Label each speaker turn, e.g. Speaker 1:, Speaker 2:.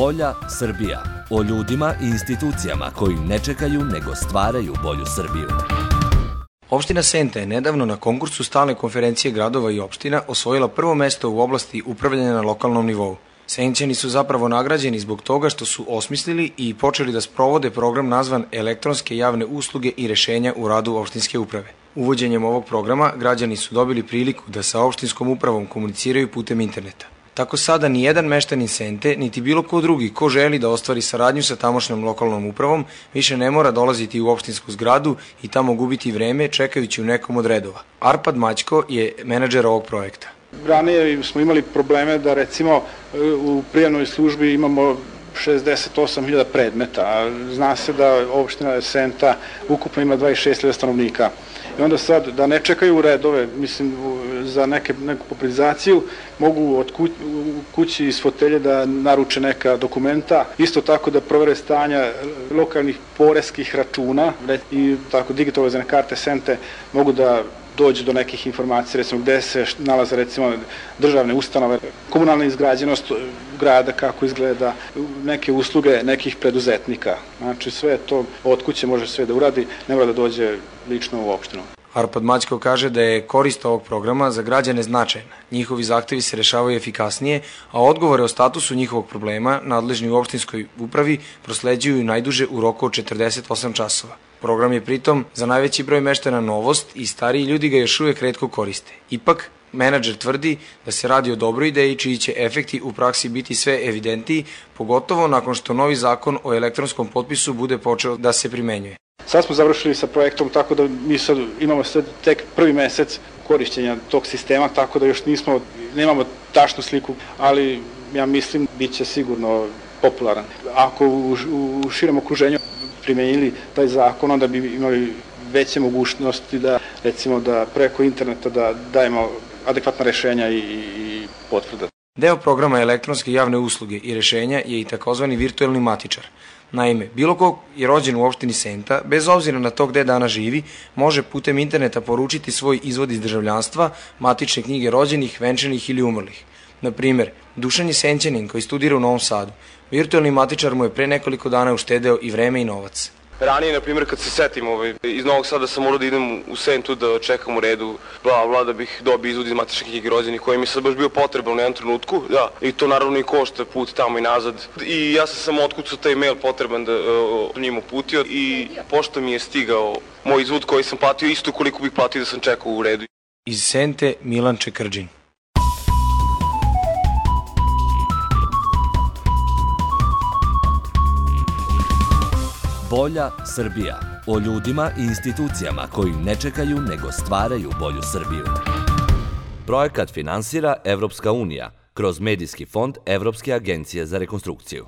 Speaker 1: Bolja Srbija. O ljudima i institucijama koji ne čekaju nego stvaraju bolju Srbiju.
Speaker 2: Opština Senta je nedavno na konkursu stalne konferencije gradova i opština osvojila prvo mesto u oblasti upravljanja na lokalnom nivou. Senćani su zapravo nagrađeni zbog toga što su osmislili i počeli da sprovode program nazvan elektronske javne usluge i rešenja u radu opštinske uprave. Uvođenjem ovog programa građani su dobili priliku da sa opštinskom upravom komuniciraju putem interneta. Tako sada ni jedan meštanin Sente, niti bilo ko drugi ko želi da ostvari saradnju sa tamošnjom lokalnom upravom, više ne mora dolaziti u opštinsku zgradu i tamo gubiti vreme čekajući u nekom od redova. Arpad Maćko je menadžer ovog projekta.
Speaker 3: Ranije smo imali probleme da recimo u prijavnoj službi imamo 68.000 predmeta, a zna se da opština Senta ukupno ima 26.000 stanovnika. I onda sad da ne čekaju u redove, mislim, za neku popularizaciju, mogu od kući iz fotelje da naruče neka dokumenta, isto tako da provere stanja lokalnih poreskih računa i tako digitalizovane karte Sente mogu da dođe do nekih informacija, recimo gde se nalaze recimo državne ustanove, komunalna izgrađenost grada, kako izgleda, neke usluge nekih preduzetnika. Znači sve to od kuće može sve da uradi, ne mora da dođe lično u opštinu.
Speaker 2: Arpad Maćko kaže da je korist ovog programa za građane značajna. Njihovi zahtevi se rešavaju efikasnije, a odgovore o statusu njihovog problema nadležni u opštinskoj upravi prosleđuju najduže u roku od 48 časova. Program je pritom za najveći broj meštana novost i stariji ljudi ga još uvek retko koriste. Ipak, menadžer tvrdi da se radi o dobroj ideji čiji će efekti u praksi biti sve evidentiji, pogotovo nakon što novi zakon o elektronskom potpisu bude počeo da se primenjuje.
Speaker 3: Sad smo završili sa projektom, tako da mi sad imamo tek prvi mesec korišćenja tog sistema, tako da još nemamo tačnu sliku, ali ja mislim bit će sigurno popularan. Ako u širem okruženju primenili taj zakon, onda bi imali veće mogućnosti da, recimo, da preko interneta da dajemo adekvatna rešenja i potvrde.
Speaker 2: Deo programa elektronske javne usluge i rešenja je i takozvani virtuelni matičar. Naime, bilo ko je rođen u opštini Senta, bez obzira na to gde danas živi, može putem interneta poručiti svoj izvod iz državljanstva, matične knjige rođenih, venčanih ili umrlih. Na primer, Dušan je Senćanin koji studira u Novom Sadu. Virtuelni matičar mu je pre nekoliko dana uštedeo i vreme i novac.
Speaker 4: Ranije, na primjer, kad se setim, iz Novog Sada sam morao da idem u Sentu da čekam u redu, da bih dobio izvod iz matične knjige rođenih, koji mi je sad baš bio potreban u jednom trenutku, da, i to naravno i košta put tamo i nazad. I ja sam samo otkucao taj mail potreban da njim uputio i pošto mi je stigao moj izvod koji sam platio isto koliko bih platio da sam čekao u redu.
Speaker 2: Iz Sente, Milan Čekrđin.
Speaker 1: Bolja Srbija. O ljudima i institucijama koji ne čekaju nego stvaraju bolju Srbiju. Projekat finansira Evropska unija kroz Medijski fond Evropske agencije za rekonstrukciju.